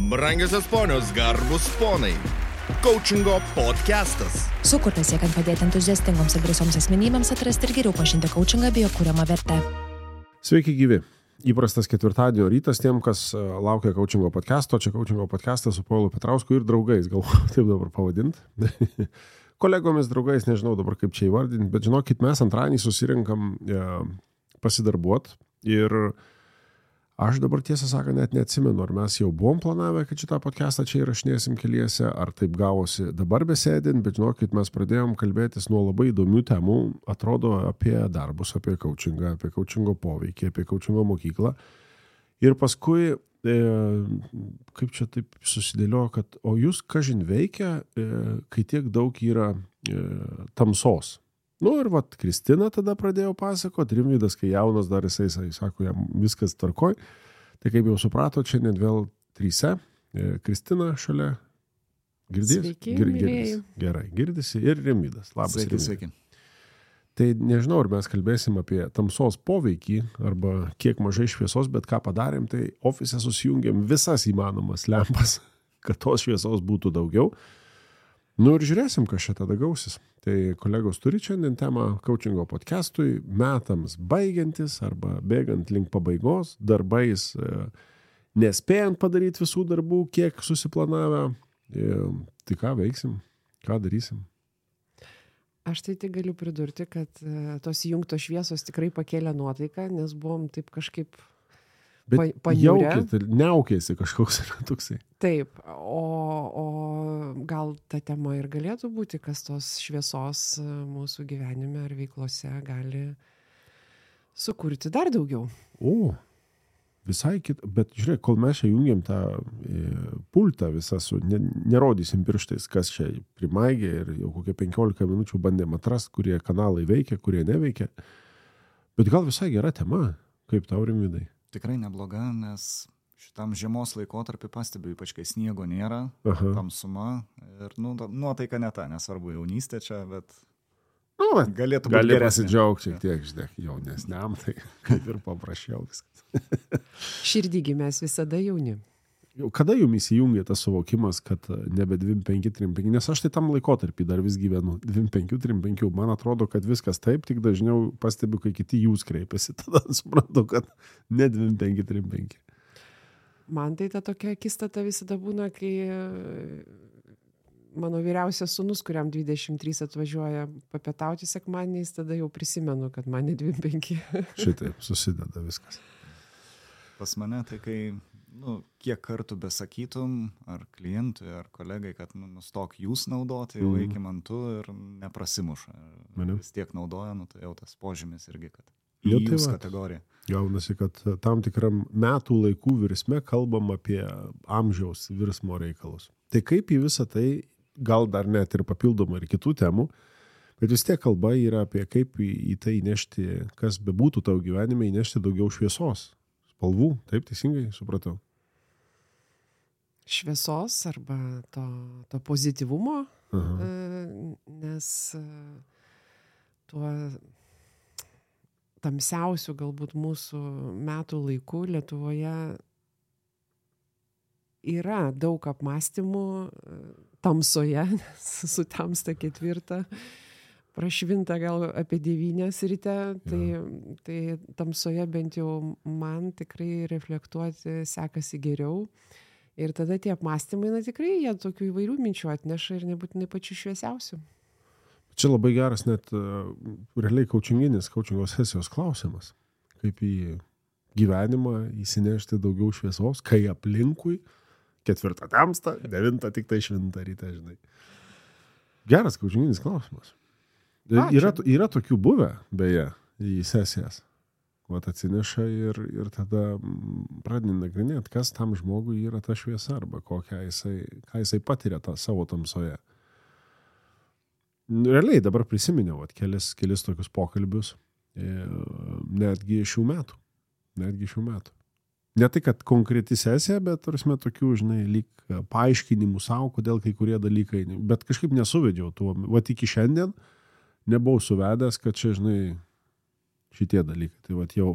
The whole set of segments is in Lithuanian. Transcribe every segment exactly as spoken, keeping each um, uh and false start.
Brangiosios ponios, garbus ponai. Coachingo podcastas. Sukurtas siekiant padėti entuziastingoms ir drąsioms asmenybėms atrasti ir geriau pažinti coachingą bei jo kuriamą vertę. Sveiki gyvi. Įprastas ketvirtadienio rytas tiem, kas laukia coachingo podcasto. Čia coachingo podcastas su Povilu Petrausku ir draugais. Galvoju, taip dabar pavadinti. Kolegomis, draugais, nežinau dabar kaip čia įvardinti, bet žinokit, mes antradienį susirinkam e, pasidarbuot ir aš dabar tiesą sakant net neatsimenu, ar mes jau buvom planavę, kad šitą podcastą čia įrašinėsim keliese, ar taip gavosi dabar besėdint, bet žinokit, mes pradėjom kalbėtis nuo labai įdomių temų, atrodo apie darbus, apie coachingą, apie coachingo poveikį, apie coachingo mokyklą. Ir paskui, e, kaip čia taip susidėliojo, kad o jūs kažin veikia, e, kai tiek daug yra e, tamsos. Nu ir vat Kristina tada pradėjo pasakot, Rimvydas, kai jaunas dar jisai, jisai sako, jam viskas tvarkoj. Tai kaip jau suprato, čia net vėl tryse. E, Kristina šalia. Girdės? Sveiki, Gir, mylėjai. Gerai, girdisi ir Rimvydas. Labas. Sveiki, Rimvydai. sveiki. Tai nežinau, ar mes kalbėsim apie tamsos poveikį arba kiek mažai šviesos, bet ką padarėm, tai ofise susijungėm visas įmanomas lempas, kad tos šviesos būtų daugiau. Nu ir žiūrėsim, kas čia tada gausis. Tai kolegos turi šiandien temą coachingo podcastui, metams baigiantis arba bėgant link pabaigos, darbais e, nespėjant padaryti visų darbų, kiek susiplanavę. E, tai ką veiksim, ką darysim? Aš tai tik galiu pridurti, kad uh, tos įjungtos šviesos tikrai pakėlė nuotaiką, nes buvom taip kažkaip Bet pa, paniurę. jaukit, neaukėsi kažkoks yra toksai. Taip, o, o gal ta tema ir galėtų būti, kas tos šviesos uh, mūsų gyvenime ar veiklose gali sukurti dar daugiau. O, visai kit, bet žiūrėk, kol mes čia jungiam tą e, pultą visą su, ne, nerodysim pirštais, kas čia primaigė ir jau kokie penkiolika minučių bandėm atrast, kurie kanalai veikia, kurie neveikia. Bet gal visai gera tema, kaip tau, Rimvydai? Tikrai nebloga, nes šitam žiemos laikotarpį pastebiu, ypač kai sniego nėra, Aha. tamsuma ir nu, nuotaika ne ta, nesvarbu jaunystė čia, bet Nu, bet galėtų būti gali geresnė. pasidžiaugti šiek tiek, žinai, jaunesniam, tai kaip ir paprasčiau viskas. Širdygi mes visada jauni. Jau kada jums įsijungia tas suvokimas, kad nebe dvidešimt penki trisdešimt penki, nes aš tai tam laikotarpį dar vis gyvenu, dvidešimt penki trisdešimt penki, man atrodo, kad viskas taip, tik dažniau pastebiu, kai kiti jūs kreipiasi, tada suprantu, kad ne dvidešimt penki trisdešimt penki. Man tai ta tokia akistata visada būna, kai mano vyriausias sūnus, kuriam dvidešimt trys atvažiuoja papietauti sekmadieniais, tada jau prisimenu, kad man ne dvidešimt penki. Šitaip susideda viskas. Pas mane tai kai, nu, kiek kartų besakytum, ar klientui, ar kolegai, kad nu, nustok jūs naudoti, jau Mhm. eikim ant tu ir neprasimuša. Mane. Vis tiek naudoja, nu, tai jau tas požymis irgi, kad Jo, į tai jūs va. kategoriją. Gaunasi, kad tam tikram metų laikų virsme kalbam apie amžiaus virsmo reikalus. Tai kaip į visą tai, gal dar net ir papildomai ir kitų temų, bet vis tiek kalba yra apie kaip į, į tai įnešti, kas bebūtų tavo gyvenime, įnešti daugiau šviesos, spalvų, taip teisingai supratau. Šviesos arba to, to pozityvumo, Aha. e, nes e, tuo tamsiausių galbūt mūsų metų laikų Lietuvoje yra daug apmąstymų e, tamsoje, nes sutamsta ketvirtą, prašvinta gal apie devynias ryte, tai, tai tamsoje bent jau man tikrai reflektuoti sekasi geriau. Ir tada tie apmąstymai, na tikrai, jie tokių įvairių minčių atneša ir nebūtinai pačių šviesiausių. Čia labai geras net uh, realiai coachinginis, coachingo sesijos klausimas. Kaip į gyvenimą įsinešti daugiau šviesos, kai aplinkui ketvirtą tamsta, devintą tik tai švintą ryte, žinai. Geras coachinginis klausimas. Ačiū. Yra, yra tokių buvę, beje, į sesijas. Vat atsineša ir, ir tada pradedi nagrinėti, kas tam žmogui yra ta šviesa arba kokią jisai, ką jisai patiria tą savo tamsoje. Realiai dabar prisiminiau vat, kelis, kelis tokius pokalbius, e, netgi šių metų. Netgi šių metų. Ne tai, kad konkreti sesija, bet tarsi tokių, žinai, lyg paaiškinimų savo, kodėl kai kurie dalykai, bet kažkaip nesuvedžiau tuo. Vat iki šiandien nebuvau suvedęs, kad čia, žinai, šitie dalykai. Tai vat jau,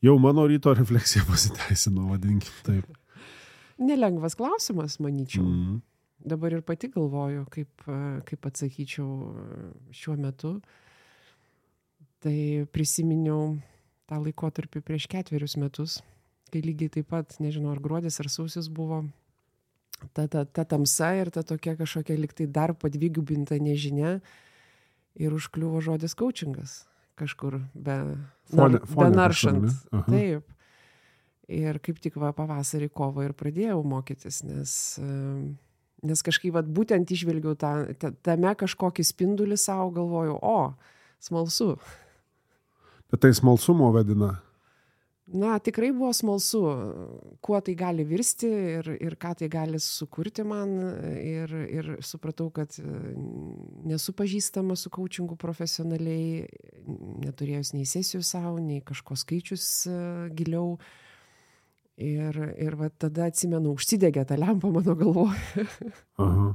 jau mano ryto refleksija pasiteisino, vadinkim taip. Nelengvas klausimas, manyčiau. Mhm. Dabar ir pati galvoju, kaip, kaip atsakyčiau šiuo metu. Tai prisiminiau tą laikotarpį prieš ketverius metus, kai lygiai taip pat, nežinau, ar gruodis, ar sausis buvo, ta, ta, ta tamsa ir ta tokia kažkokia liktai dar padvigubinta nežinia ir užkliuvo žodis coachingas kažkur be, Fone, nar, fone be naršant. kažkur, ne? Taip. Ir kaip tik va pavasarį kovo ir pradėjau mokytis, nes, nes kažkaip va būtent išvelgiau tą, tą, tame kažkokį spindulį savo, galvoju, o, smalsu. Bet tai smalsumo vedina. Na, tikrai buvo smalsu, kuo tai gali virsti ir, ir ką tai gali sukurti man. Ir, ir supratau, kad nesu pažįstama su coachingu profesionaliai, neturėjus nei sesijų savo, nei kažko skaičius giliau. Ir, ir va tada atsimenu, užsidegė tą lempą mano galvoje. Aha.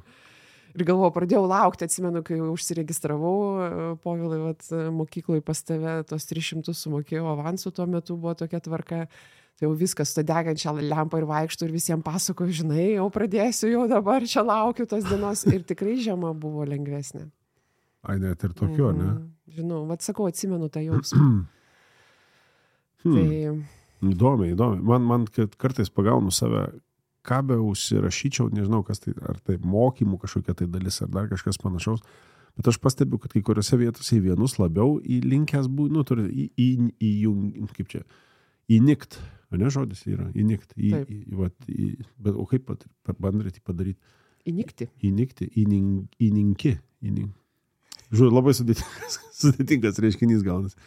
Ir galvoju, pradėjau laukti, atsimenu, kai užsiregistravau, Povilai, vat, mokykloje pas tave tos tris šimtus sumokėjau avansų, tuo metu buvo tokia tvarka, tai jau viskas, to degančią lempą ir vaikštų ir visiems pasakoju, žinai, jau pradėsiu, jau dabar čia laukiu tos dienos ir tikrai žiema buvo lengvesnė. Ai, net ir tokio, mm, ne? Žinau, vat sakau, atsimenu tą jausmą. hmm. Tai... Įdomiai, įdomiai. Man, man kartais pagaunu save, ką be užsirašyčiau, nežinau, kas tai, ar tai mokymų kažkokia tai dalis, ar dar kažkas panašaus, bet aš pastebiu, kad kai kuriuose vietose į vienus labiau įlinkęs bū, nu, turi į, į, į, į, kaip čia, įnikt, ne žodis yra, įnikt, į, į, vat, į, bet, o kaip pat, bandyti padaryti? Įnikti. Įnikti, įnin, įninki, įnin. Žiūrėjau, labai sudėtingas, sudėtingas reiškinys gaunas.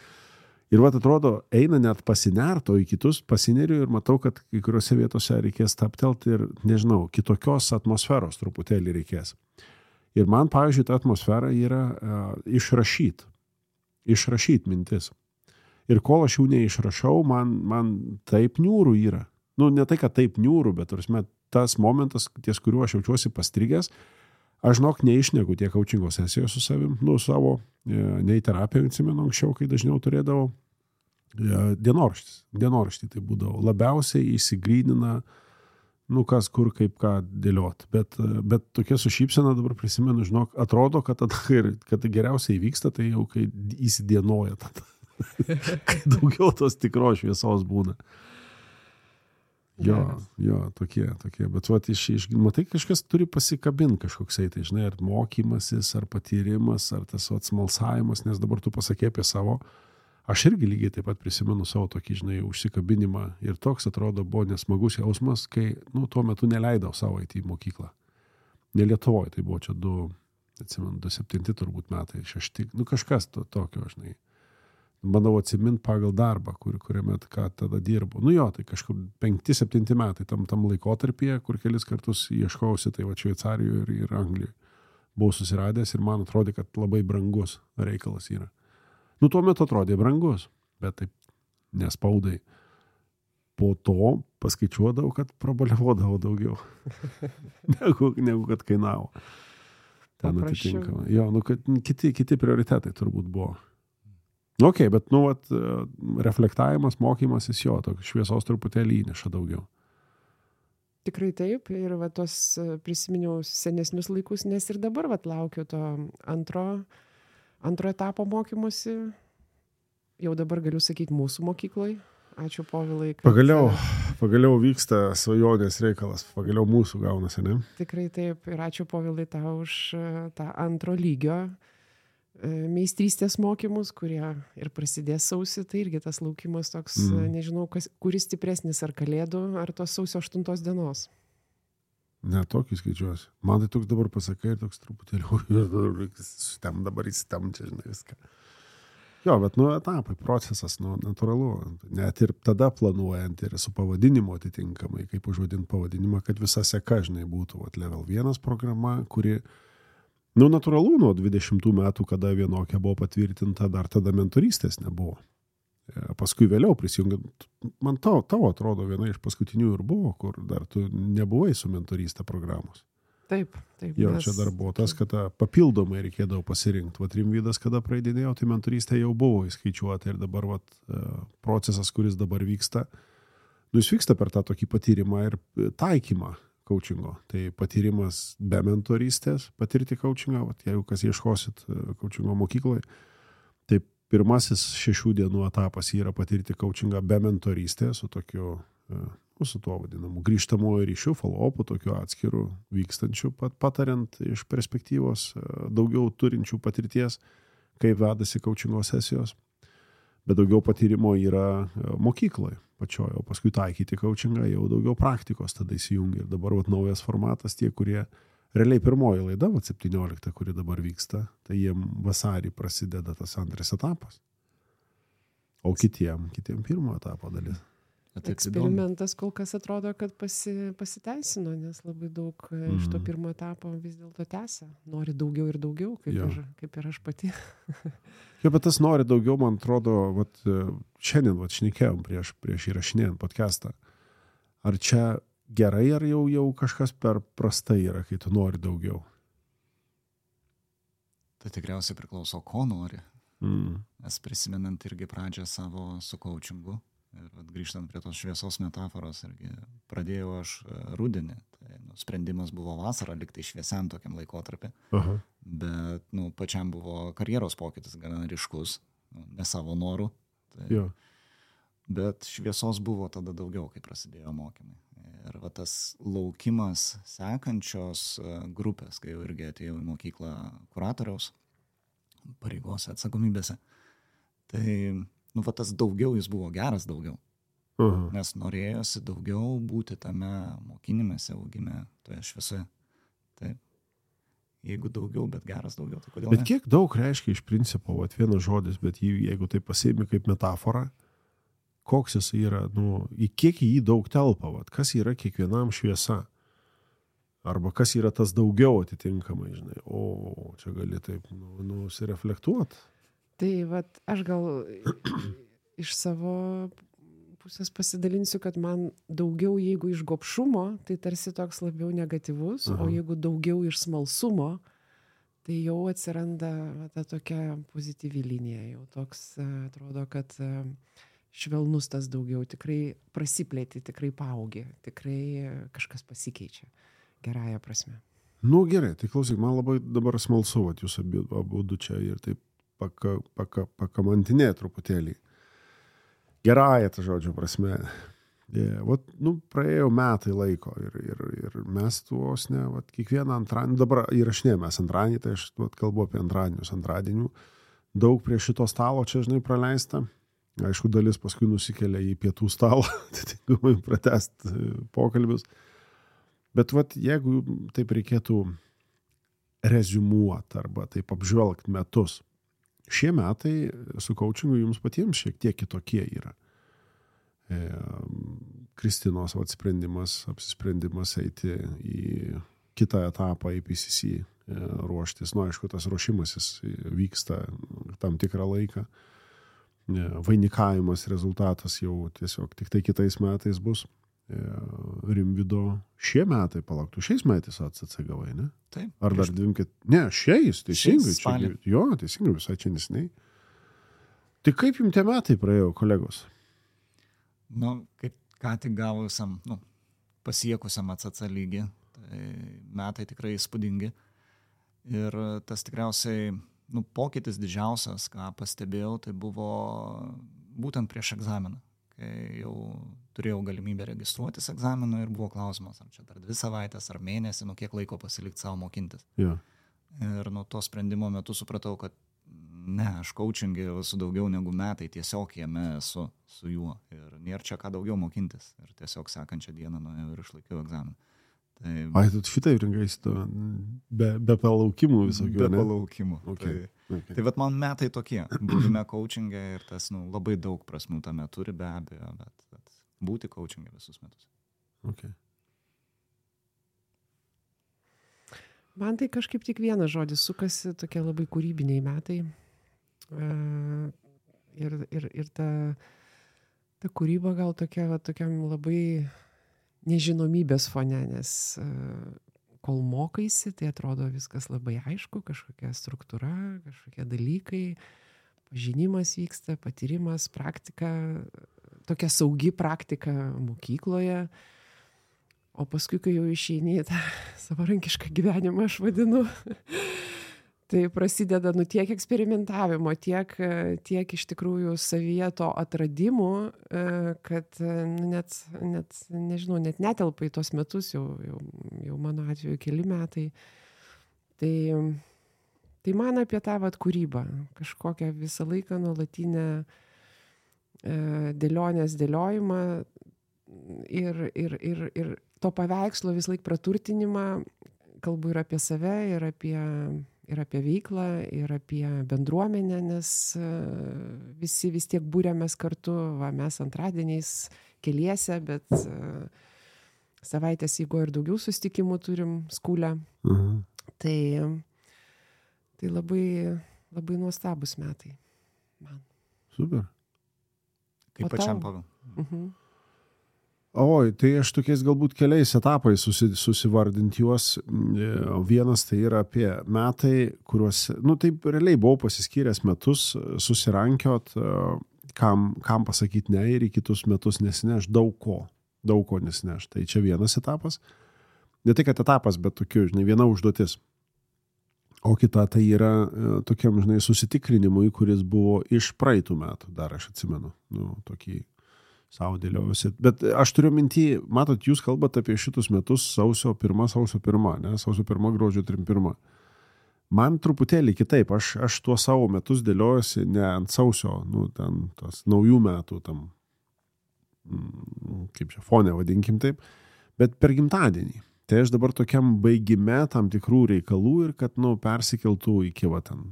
Ir vat atrodo, eina net pasinerto į kitus, pasineriu ir matau, kad kai kuriuose vietose reikės taptelti ir, nežinau, kitokios atmosferos truputėlį reikės. Ir man, pavyzdžiui, ta atmosfera yra uh, išrašyt. Išrašyt mintis. Ir kol aš jų neišrašau, man, man taip niūrų yra. Nu, ne tai, kad taip niūrų, bet tarsi, tas momentas, ties kuriuo aš jaučiuosi pastrigęs, aš žinok, neišneku tiek coachingo sesijos su savim, nu, savo, nei terapiją atsimenu anksčiau, kai dažniau turėdavau dienoraštis. Dienoraštį tai būdavo. Labiausiai įsigrynina, nu, kas kur kaip ką dėliot. Bet, bet tokia su šypsena dabar prisimenu, žinok, atrodo, kad, tada, kad geriausiai vyksta, tai jau kai įsidienoja tada. Kai daugiau tos tikros šviesos būna. Jo, jo, tokie, tokie. Bet vat, iš, iš, matai, kažkas turi pasikabinti kažkoksai, tai žinai, ar mokymasis, ar patyrimas, ar tas vat, smalsavimas, nes dabar tu pasakė apie savo. Aš irgi lygiai taip pat prisimenu savo tokį, žinai, užsikabinimą ir toks atrodo buvo nesmagus jausmas, kai, nu, tuo metu neleidau savo eiti į mokyklą. Ne Lietuvoje, tai buvo čia du, atsimenu, du septinti turbūt metai, šešti, nu, kažkas to, tokio, žinai. Bandau atsiminti pagal darbą, kur, kuriame ką tada dirbu. Nu jo, tai kažkur penkti, septinti metai tam, tam laikotarpyje, kur kelis kartus ieškausi, tai va Šveicarijoje ir, ir Anglijoje. Buvau susiradęs ir man atrodė, kad labai brangus reikalas yra. Nu, tuo metu atrodė brangus, bet taip nespaudai. Po to paskaičiuodavau, kad prabaliavodavau daugiau, negu, negu kad kainavo. Ten atitinkamai. Jo, nu, kad kiti, kiti prioritetai turbūt buvo. Ok, bet, nu, vat, reflektavimas, mokymasis jo, toks šviesos truputėlį įneša daugiau. Tikrai taip, ir va, tos prisiminiau senesnius laikus, nes ir dabar vat, laukiu to antro, antro etapo mokymosi. Jau dabar galiu sakyti mūsų mokykloj. Ačiū, Povilai. Kad... Pagaliau, pagaliau vyksta svajonės reikalas, pagaliau mūsų gaunasi, ne? Tikrai taip, ir ačiū, Povilai, tau už tą antro lygio meistrystės mokymus, kurie ir prasidės sausį, tai irgi tas laukimas toks, mm. nežinau, kas, kuris stipresnis, ar kalėdų, ar tos sausio aštuntos dienos. Ne, tokį skaičiuosi. Man tai toks dabar pasakai ir toks truputėlį, tam dabar įsitam čia, žinai, viską. Jo, bet, nu, etapai, procesas, nu, natūralu. Net ir tada planuojant ir su pavadinimu atitinkamai, kaip užvadinti pavadinimą, kad visa seka, žinai, būtų vat, level vienas programa, kuri nu, natūralu, nuo dvidešimtų metų, kada vienokia buvo patvirtinta, dar tada mentorystės nebuvo. Paskui vėliau prisijungiant, man tau, tau atrodo viena iš paskutinių ir buvo, kur dar tu nebuvai su mentorystė programos. Taip, taip. Jo, mes... čia dar buvo tas, kad papildomai reikėdavo pasirinkti. Vat Rimvydas, kada praeidinėjo, tai mentorystė jau buvo įskaičiuota ir dabar vat, procesas, kuris dabar vyksta, Nu, jis vyksta per tą tokį patyrimą ir taikymą coachingo. Tai patyrimas be mentorystės, patirti coachingą, vat, jeigu kas ieškosit coachingo mokykloje, tai pirmasis šešių dienų etapas yra patirti coachingą be mentorystės, su tokiu, nu, su tuo vadinamu grįžtamojo ryšiu, follow-upu, tokiu atskiru vykstančiu, pat, patariant iš perspektyvos daugiau turinčių patirties, kaip vedasi coachingo sesijos. Bet daugiau patyrimo yra mokykloje pačioje, o paskui taikyti coachingą jau daugiau praktikos tada įsijungia. Ir dabar vat, naujas formatas, tie, kurie realiai pirmoji laida, vat, septyniolikta, kuri dabar vyksta, tai jiem vasarį prasideda tas antras etapas. O kitiem, kitiem pirmo etapo dalis. Eksperimentas kol kas atrodo, kad pasi, pasiteisino, nes labai daug mm. iš to pirmo etapo vis dėlto tęsia. Nori daugiau ir daugiau, kaip, ir, kaip ir aš pati. Jo, bet tas nori daugiau, man atrodo, vat, šiandien vat, šnekėjom prieš, prieš įrašinėjant podcastą. Ar čia gerai, ar jau, jau kažkas per prastai yra, kai tu nori daugiau? Tai tikriausiai priklauso, ko nori. Mm. Nes prisimenant irgi pradžią savo su coachingu, ir vat, grįžtant prie tos šviesos metaforos, irgi pradėjau aš rudenį. Tai, nu, sprendimas buvo vasarą, liktai šviesiam tokiam laikotarpį. Aha. Bet nu, pačiam buvo karjeros pokytis gana ryškus, nu, ne savo norų. Tai, jo. Bet šviesos buvo tada daugiau, kai prasidėjo mokymai. Ir va, tas laukimas sekančios grupės, kai jau irgi atėjau į mokyklą kuratoriaus pareigose, atsakomybėse. Tai nu, va, tas daugiau jis buvo geras daugiau. Aha. Nes norėjosi daugiau būti tame mokinimėse, augime, toje šviesoje. Taip. Jeigu daugiau, bet geras daugiau, tai kodėl Bet ne? kiek daug reiškia iš principo, vat, vienas žodis, bet jį, jeigu tai pasiimi kaip metaforą, koks jis yra, nu, į kiek į jį daug telpa, vat, kas yra kiekvienam šviesa. Arba kas yra tas daugiau atitinkamai, žinai. O, čia gali taip, nu, nusireflektuot. Tai vat, aš gal iš savo pusės pasidalinsiu, kad man daugiau, jeigu iš gobšumo, tai tarsi toks labiau negatyvus, Aha. o jeigu daugiau iš smalsumo, tai jau atsiranda va, ta tokia pozityvi linija. Jau toks atrodo, kad švelnus tas daugiau, tikrai prasiplėti, tikrai paaugi, tikrai kažkas pasikeičia gerąją prasme. Nu gerai, tai klausyk, man labai dabar smalsu, vat, jūs abu, abu čia ir taip paka, paka, pakamantinė truputėlį. Gerąją, tą žodžio prasme. Yeah, vat, nu, praėjo metai laiko ir, ir, ir mes tuos, ne, vat, kiekvieną antradienį, dabar įrašinėjame mes antradienį, tai aš vat, kalbu apie antradienius, antradienių. Daug prie šito stalo čia, žinai, praleista. Aišku, dalis paskui nusikelia į pietų stalą, atitinkamai pratęst pokalbius. Bet vat, jeigu taip reikėtų reziumuot arba taip apžvelgt metus, šie metai su coachingu jums patiems šiek tiek kitokie yra. E, Kristinos vat, sprendimas, apsisprendimas eiti į kitą etapą, į P C C, e, ruoštis. Nu, aišku, tas ruošimasis vyksta tam tikrą laiką. E, vainikavimas rezultatas jau tiesiog tik tai kitais metais bus. E, Rimvydo šie metai, palauktų, šiais metais A C C gavai, ne? Taip. Ar dar dvimkit? Ne, šiais, teisingai. Šiais spalį. Čia, jo, teisingai, visai čia nesiniai. Tai kaip jums tie metai praėjo, kolegos? Nu, kaip ką tik gavusiam, nu, pasiekusiam A C C lygį, tai metai tikrai įspūdingi. Ir tas tikriausiai, nu, pokytis didžiausias, ką pastebėjau, tai buvo būtent prieš egzaminą. Kai jau turėjau galimybę registruotis egzaminui ir buvo klausimas, ar čia dar dvi savaitės, ar mėnesį, nu kiek laiko pasilikti savo mokintis. Ja. Ir nuo to sprendimo metu supratau, kad ne, aš coachingė esu daugiau negu metai, tiesiog jame esu su juo. Ir nėra čia ką daugiau mokintis. Ir tiesiog sekančią dieną nuėjau ir išlaikiau egzaminą. Tai... Ai, tu šitai rinkaisi to be, be palaukimų visokių, be ne? palaukimų. Okay. Tai, Okay. tai vat man metai tokie. Buvime coachingė ir tas, nu, labai daug prasmių tame turi be abejo, bet, bet būti coachingė visus metus. Okay. Man tai kažkaip tik vienas žodis sukasi, tokie labai kūrybiniai metai. Uh, ir, ir, ir ta, ta kūryba gal tokia, va, tokiam labai nežinomybės fone, nes uh, kol mokaisi, tai atrodo viskas labai aišku, kažkokia struktūra, kažkokie dalykai. pažinimas vyksta, patyrimas, praktika, tokia saugi praktika mokykloje. O paskui, kai jau išeini į tą savarankišką gyvenimą, aš vadinu, tai prasideda nu tiek eksperimentavimo, tiek, tiek iš tikrųjų savyje to atradimų, kad nu, net, net, nežinau, net netelpa į tos metus, jau, jau, jau mano atveju keli metai. Tai, tai man apie tą vat kūrybą, kažkokią visą laiką nuolatinę dėlionės dėliojimą ir, ir, ir, ir to paveikslo vis laik praturtinimą, kalbu ir apie save, ir apie, ir apie veiklą, ir apie bendruomenę, nes visi vis tiek būrėmės kartu, va, mes antradieniais keliese, bet savaitės eigoje ir daugiau susitikimų turim skūlę. Mhm. Tai, tai labai, labai nuostabus metai man. Super. Kaip pačiam Pavel. Mhm. Oi, tai aš tokiais galbūt keliais etapais susi, susivardint juos. Vienas tai yra apie metai, kuriuos, nu taip realiai buvau pasiskyręs metus, susirankiot, kam, kam pasakyti ne ir į kitus metus nesineš daug ko, daug ko nesineš. Tai čia vienas etapas. Ne tai, kad etapas, bet tokiu, žinai, viena užduotis. O kita tai yra tokiam, žinai, susitikrinimui, kuris buvo iš praeitų metų, dar aš atsimenu, nu, tokį savo dėliausi. Bet aš turiu mintį, matot, jūs kalbate apie šitus metus sausio pirmą, sausio pirmą, ne? Sausio pirmą, gruodžio trim pirmą. Man truputėlį kitaip, aš, aš tuo savo metus dėliausi ne ant sausio, nu, ten tas naujų metų, tam, kaip čia, fone vadinkim taip, bet per gimtadienį. Tai aš dabar tokiam baigime tam tikrų reikalų ir kad, nu, persikeltų iki, va, ten,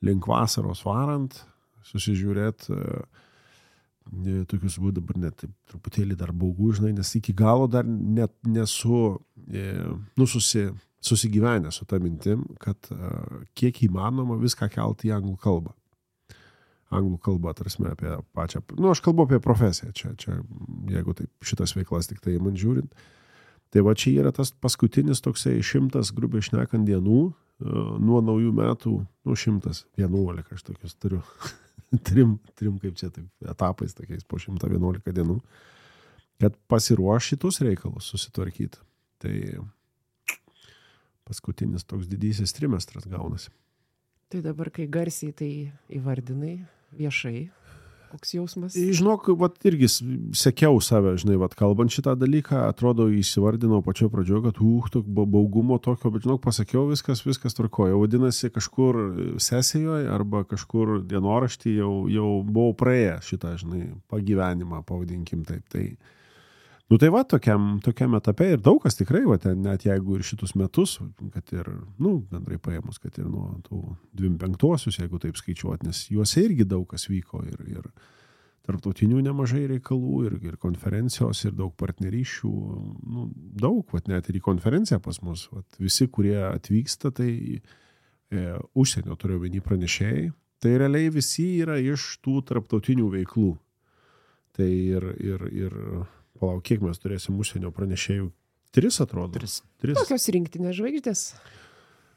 link vasaros varant, susižiūrėt, tokius būtų dabar net truputėlį dar baugų, žinai, nes iki galo dar net nesu, nu, susi, susigyvenę su ta mintim, kad kiek įmanoma viską kelti į anglų kalbą. Anglų kalbą, tarsi apie pačią, nu, aš kalbu apie profesiją, čia, čia, jeigu taip šitas veiklas tik tai man žiūrint. Tai va čia yra tas paskutinis toksai šimtas, grubiai šnekant, dienų, nuo naujų metų, nu, šimtas vienuolika, aš tokius turiu. Trim, trim kaip čia taip, etapais tokiais po šimtą vienuolika dienų, kad pasiruoš šitus reikalus susitvarkyti. Tai paskutinis toks didysis trimestras gaunasi. Tai dabar, kai garsiai tai įvardinai viešai, koks jausmas? Žinok, vat irgi sekiau save, žinai, vat kalbant šitą dalyką, atrodo įsivardinau pačio pradžioje, kad uh, tok, baugumo tokio, bet žinok, pasakiau, viskas, viskas tvarkoja. Vadinasi, kažkur sesijoje arba kažkur dienoraštį jau, jau buvau praėjęs šitą, žinai, pagyvenimą, pavadinkim taip. Tai, nu tai va, tokiam, tokiam etape ir daug kas tikrai, va, ten, net jeigu ir šitus metus, kad ir, nu, bendrai paėmus, kad ir nuo tų dvidešimt penktosius, jeigu taip skaičiuot, nes juose irgi daug kas vyko ir, ir tarptautinių nemažai reikalų, ir, ir konferencijos, ir daug partnerysčių, nu, daug, va, net ir į konferenciją pas mus, va, visi, kurie atvyksta, tai e, užsienio turiu vieni pranešėjai, tai realiai visi yra iš tų tarptautinių veiklų. Tai ir, ir, ir palauk, kiek mes turėsim užsienio pranešėjų? Tris, atrodo. Tris. Tris. Tokios rinktinės žvaigždės.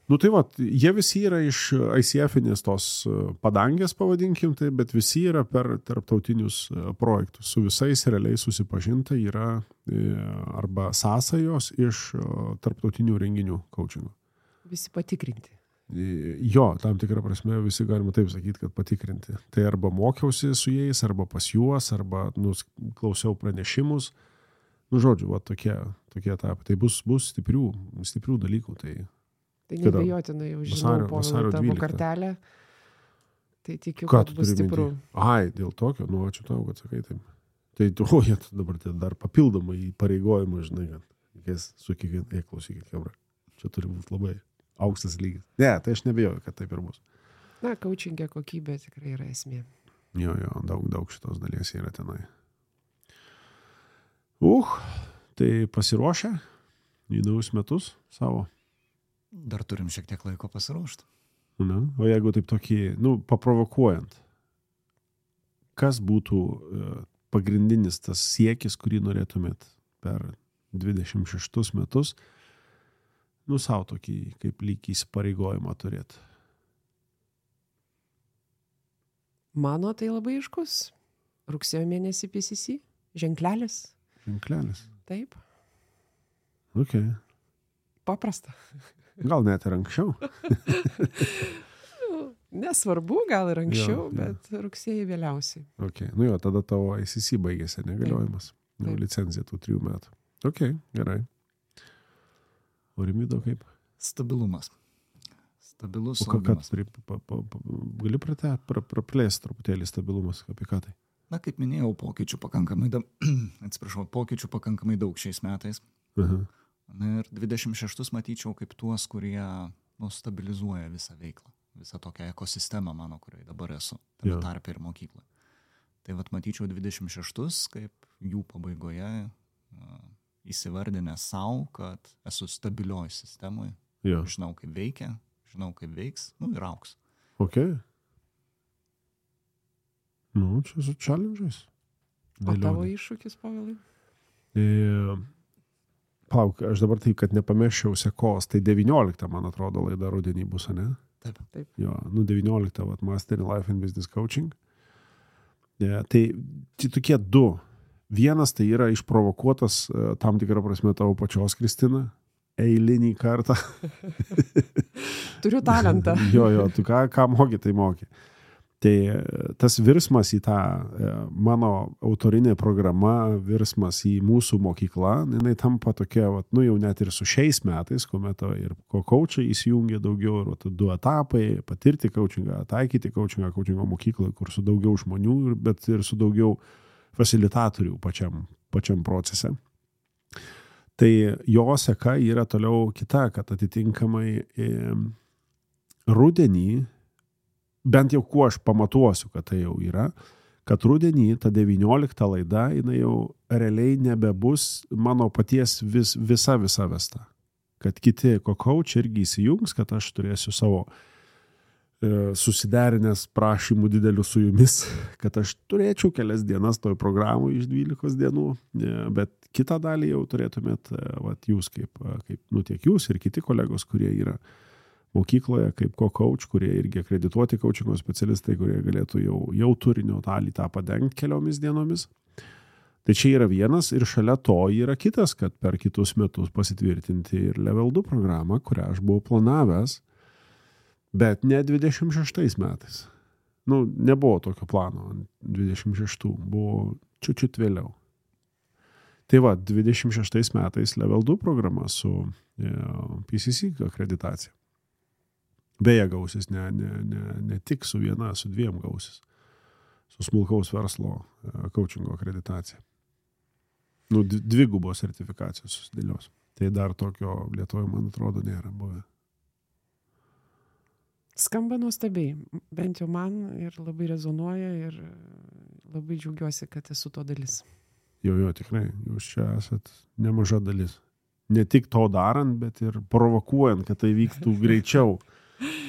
Nu tai va, jie visi yra iš I C F-inės tos padangės, pavadinkim tai, bet visi yra per tarptautinius projektus. Su visais realiai susipažinta yra arba sąsajos iš tarptautinių renginių coachingo. Visi patikrinti. Jo, tam tikrą prasme visi galima taip sakyti, kad patikrinti. Tai arba mokiausi su jais, arba pas juos, arba nu, klausiau pranešimus. Nu, žodžiu, va, tokie, tokie etapai. Tai bus, bus stiprių, stiprių dalykų. Tai, tai nebejotinai jau žinau vasario, po vasario tavo dvyliktą kartelę. Tai tikiu, Ką kad bus stipru. Minti? Ai, dėl tokio, nu, ačiū tau, kad sakai taip. Tai tu, jie dabar tai dar papildomai įpareigojimą, žinai, kad reikės su kiekvienai, klausykit, kebra. Čia turi būti labai aukštas lygis. Ne, tai aš nebejoju, kad taip ir bus. Na, coachingė kokybė tikrai yra esmė. Jo, jo, daug, daug šitos dalies yra tenai. Uh, tai pasiruošę į naujus metus savo? Dar turim šiek tiek laiko pasiruošti. Na, o jeigu taip tokį, nu, paprovokuojant, kas būtų pagrindinis tas siekis, kurį norėtumėt per dvidešimt šeštus metus, nu, savo tokį, kaip lyg įsipareigojimą turėti? Mano tai labai aiškus. Rugsėjo mėnesį P C C. Ženklelis. Ženklelis. Taip. Ok. Paprasta. Gal net ir anksčiau. Nesvarbu, gal ir anksčiau, Jo, jo. bet rugsėjai vėliausiai. Ok. Nu jo, tada tavo I C C baigėsi negaliojimas. Jau Taip. licenzija tų trijų metų. Ok, gerai. O Rimvydo kaip? Stabilumas. Stabilus O ką, ką augimas. pri- pa- pa- pa- gali prate, pra, praplėsti truputėlį stabilumas, apie ką tai? Na, kaip minėjau, pokyčių pakankamai daug, atsiprašau, pokyčių pakankamai daug šiais metais. Aha. Na ir dvidešimt šeštus matyčiau kaip tuos, kurie nu, stabilizuoja visą veiklą, visą tokią ekosistemą mano, kurioje dabar esu, tame Jo. tarpe ir mokykloje. Tai vat matyčiau dvidešimt šeštus kaip jų pabaigoje uh, įsivardinę savo, kad esu stabilioj sistemoje, Jo. žinau kaip veikia, žinau kaip veiks, nu ir auks. Ok. Nu, čia su challenge'ais. O tavo Dėlionė. iššūkis, Pavelai? E, Plauk, aš dabar taip, kad nepameščiau sekos, tai devynioliktą, man atrodo, laida rudenį bus, ne? Taip. Taip. Jo, nu devynioliktą, vat, Master in Life and Business Coaching. E, tai, tai tokie du. Vienas tai yra išprovokuotas e, tam tikrą prasme tavo pačios, Kristina, eilinį kartą. Turiu talentą. jo, jo, tu ką, ką moki, tai moki. Tai tas virsmas į tą e, mano autorinė programa, virsmas į mūsų mokyklą, jinai tampa tokia, vat, nu jau net ir su šiais metais, kuomet ir ko coachai įsijungia daugiau, ir vat, du etapai, patirti coachingą, taikyti coachingą, coachingo mokykloje, kur su daugiau žmonių, ir- bet ir su daugiau facilitatorių pačiam, pačiam procese. Tai jo seka yra toliau kita, kad atitinkamai e, rudenį, bent jau kuo aš pamatuosiu, kad tai jau yra, kad rudenį ta devyniolikta laida, jinai jau realiai nebebus mano paties vis, visa visa vesta. Kad kiti kokaučiai irgi įsijungs, kad aš turėsiu savo e, susiderinęs prašymų didelių su jumis, kad aš turėčiau kelias dienas toj programų iš dvylikos dienų, e, bet kitą dalį jau turėtumėt, e, vat, jūs kaip, e, kaip, nu tiek jūs ir kiti kolegos, kurie yra mokykloje, kaip co-coach, kurie irgi akredituoti coachingo specialistai, kurie galėtų jau, jau turinio dalį tą padengti keliomis dienomis. Tai čia yra vienas ir šalia to yra kitas, kad per kitus metus pasitvirtinti ir level du programą, kurią aš buvau planavęs, bet ne dvidešimt šeštais metais. Nu, nebuvo tokio plano dvidešimt šeštų, buvo čiučiut vėliau. Tai va, dvidešimt šeštais metais level du programa su e, P C C akreditacija. Beje, gausis ne, ne, ne, ne tik su viena, su dviem gausis. Su smulkaus verslo coachingo akreditacija. Nu, dvigubos sertifikacijos susidėlios. Tai dar tokio Lietuvoje, man atrodo, nėra buvę. Skamba nuostabiai, bent jau man ir labai rezonuoja ir labai džiaugiuosi, kad esu to dalis. Jo, jo, tikrai, jūs čia esat nemaža dalis. Ne tik to darant, bet ir provokuojant, kad tai vyktų greičiau.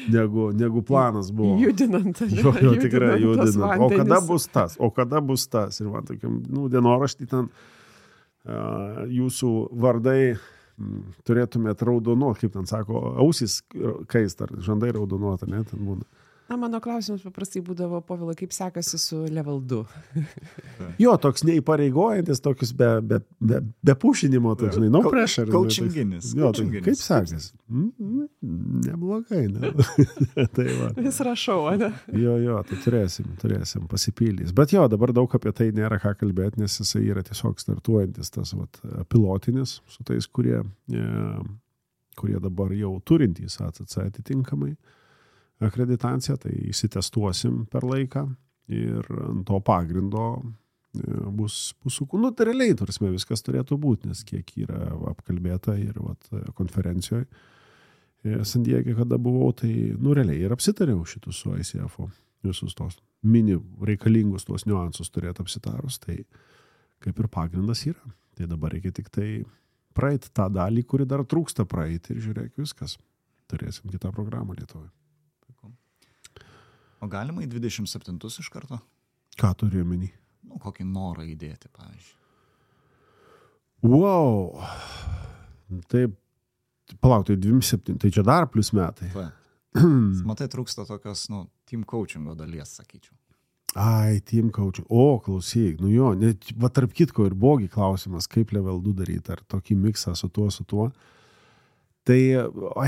Negu, negu planas buvo. Judinant. Jo, jo, tikrai tuos judinant. O kada vandenis. bus tas? O kada bus tas? Ir man tokiam, nu, dienoraštį ten uh, jūsų vardai m, turėtumėt raudonuot, kaip ten sako, ausis kaist, ar žandai raudonuot, ne, ten būna. Na, mano klausimas paprastai būdavo, Povila, kaip sekasi su level du? Jo, toks neįpareigojantis, tokius be, be, be, be pušinimo, toks, žinai, no Kau- pressure. coachinginis, Jo, tai coachinginis. kaip sekasi? Mm, neblogai, ne? Tai va. Vis rašau, ne? Jo, jo, tai turėsim, turėsim pasipildys. Bet jo, dabar daug apie tai nėra ką kalbėti, nes jisai yra tiesiog startuojantis tas vat, pilotinis su tais, kurie, e, kurie dabar jau turintys A C C atitinkamai akreditaciją, tai įsitestuosim per laiką ir ant to pagrindo e, bus, bus su kūnu. Tai realiai, tarsi, viskas turėtų būti, nes kiek yra apkalbėta ir vat, konferencijoje San Diege, kada buvau, tai nu realiai ir apsitariau šitus su I C F-o, visus tos mini reikalingus tuos niuansus turėtų apsitarus, tai kaip ir pagrindas yra. Tai dabar reikia tik tai praeiti tą dalį, kuri dar trūksta praeiti ir žiūrėk viskas. Turėsim kitą programą Lietuvoje. O galima į dvidešimt septintus iš karto? Ką turi omeny? Nu, kokį norą įdėti, pavyzdžiui. Wow! Taip, palauk, tai dvidešimt septyni, tai čia dar plus metai. Va. Matai, trūksta tokios, nu, team coachingo dalies, sakyčiau. Ai, team coaching. O, klausyk, nu jo, net, va tarp kitko ir bogi klausimas, kaip level du daryti, ar tokį miksą su tuo, su tuo. Tai,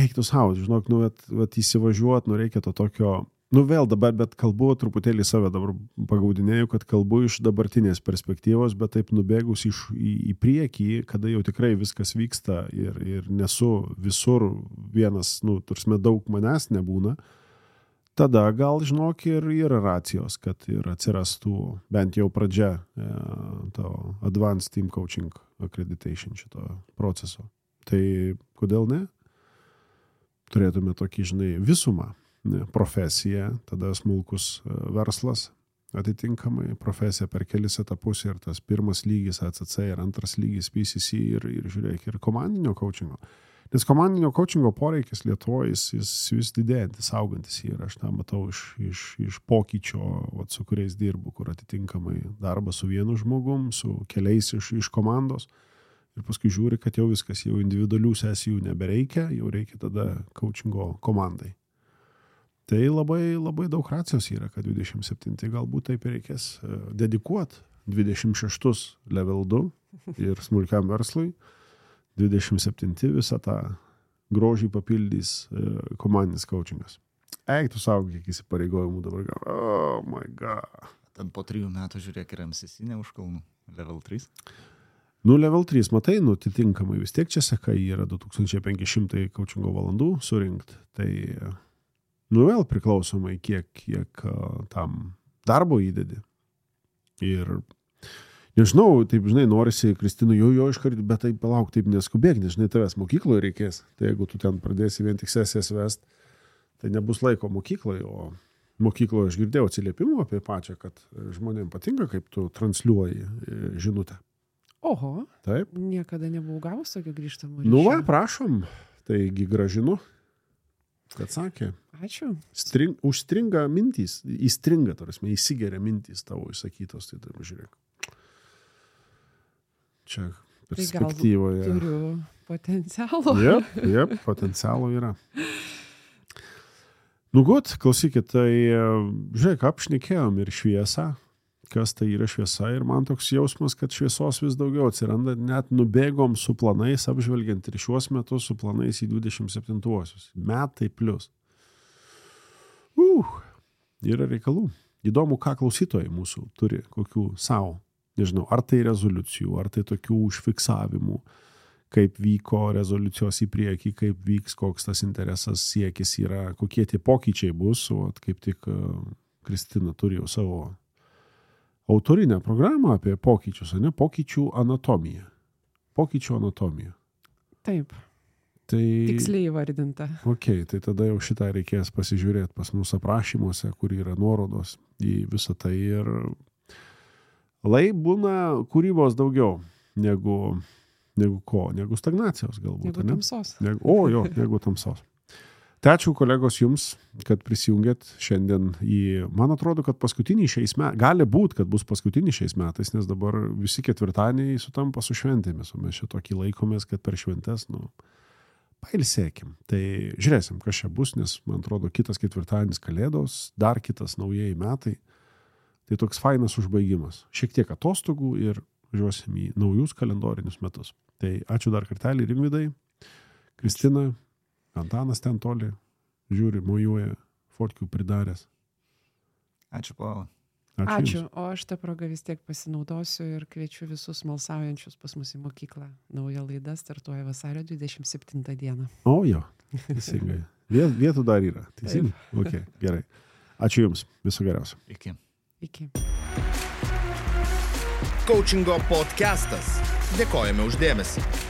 eiktų savo, žinok, nu, vat, vat įsivažiuot, nu, reikia to tokio, nu, vėl dabar, bet kalbu truputėlį save dabar pagaudinėjau, kad kalbu iš dabartinės perspektyvos, bet taip nubėgus iš, į, į priekį, kada jau tikrai viskas vyksta ir, ir nesu visur vienas, nu, tursime daug manęs nebūna, tada gal, žinok, ir yra racijos, kad ir atsirastų bent jau pradžia e, to Advanced Team Coaching Accreditation šito proceso. Tai kodėl ne? Turėtume tokį, žinai, visumą, ne, profesiją, tada smulkus verslas, atitinkamai profesija per kelis etapus ir tas pirmas lygis A C C ir antras lygis P C C ir, ir žiūrėk, ir komandinio coachingo. Nes komandinio coachingo poreikis Lietuvoje jis, jis vis didėjantis, augantis ir aš tą matau iš, iš, iš pokyčio, vat, su kuriais dirbu, kur atitinkamai darbas su vienu žmogum, su keliais iš, iš komandos ir paskui žiūri, kad jau viskas, jau individualių sesijų nebereikia, jau reikia tada coachingo komandai. Tai labai, labai daug racijos yra, kad dvidešimt septinti galbūt taip reikės dedikuoti dvidešimt šeštus level du ir smulkiam verslui. dvidešimt septinti visą tą grožį papildys e, komandinis coachingas. Eik, tu savo, kiek įsipareigojimų dabar gal. Oh my god. Ten po trijų metų žiūrėk ir M C C ne už kalnų. Level trys. Nu, level trys, matai, nu, atitinkamai vis tiek čia seka yra du tūkstančiai penki šimtai coachingo valandų surinkt. Tai, nu, vėl priklausomai, kiek, kiek uh, tam darbo įdedi. Ir nežinau, taip, žinai, norisi, Kristina, jo, jo iškart, bet taip palauk, taip neskubėk, nes, žinai, tavęs mokykloje reikės. Tai jeigu tu ten pradėsi vien tik sesijas vest, tai nebus laiko mokykloje, o mokykloje aš girdėjau atsiliepimų apie pačią, kad žmonėms patinka, kaip tu transliuoji žinutę. Oho, taip. Niekada nebuvau gavus tokio grįžtamo ryšio. Nu va, prašom, taigi gražinu, kad sakė. Ačiū. String, užstringa mintys, įstringa, tarsi, įsigeria mintys tavo įsakytos, tai taip žiūrėk. Čia perspektyvoje. Tai turiu potencialo. Jep, jep, potencialo yra. Nu gut, klausykit, tai žiūrėk, apšnekėjom ir šviesą, kas tai yra šviesa ir man toks jausmas, kad šviesos vis daugiau atsiranda, net nubėgom su planais, apžvelgiant ir šiuos metus su planais į dvidešimt septintuosius. Metai plus. Uh, yra reikalų. Įdomu, ką klausytojai mūsų turi, kokių savo. Nežinau, ar tai rezoliucijų, ar tai tokių užfiksavimų, kaip vyko rezoliucijos į priekį, kaip vyks, koks tas interesas siekis yra, kokie tie pokyčiai bus, o kaip tik Kristina turi jau savo autorinę programą apie pokyčius, ne, pokyčių anatomiją. Pokyčių anatomija. Taip. Tai, tiksliai įvardinta. Ok, tai tada jau šitą reikės pasižiūrėti pas mūsų aprašymuose, kur yra nuorodos į visą tai ir lai būna kūrybos daugiau negu, negu ko, negu stagnacijos galbūt. Negu ne? tamsos. Negu, o jo, negu tamsos. Tai ačiū kolegos jums, kad prisijungėt šiandien į, man atrodo, kad paskutinį šiais metais, gali būt, kad bus paskutinį šiais metais, nes dabar visi ketvirtadieniai sutampa su šventėmis, o mes šitokį laikomės, kad per šventes, nu, pailsėkim. Tai žiūrėsim, kas čia bus, nes man atrodo, kitas ketvirtadienis kalėdos, dar kitas naujieji metai. Tai toks fainas užbaigimas. Šiek tiek atostogų ir važiuosim į naujus kalendorinius metus. Tai ačiū dar kartelį Rimvydai, Kristina, Antanas ten toli, žiūri, mojuoja, fotkių pridaręs. Ačiū, Paula. Ačiū. Ačiū. O aš tą progą vis tiek pasinaudosiu ir kviečiu visus smalsaujančius pas mus į mokyklą. Nauja laida startuoja vasario dvidešimt septintą dieną. O jo, teisingai. Vietų dar yra. Teisingai? Ok, gerai. Ačiū Jums. Viso geriausio. Iki. Iki. Coachingo podcastas. Dėkojame už dėmesį.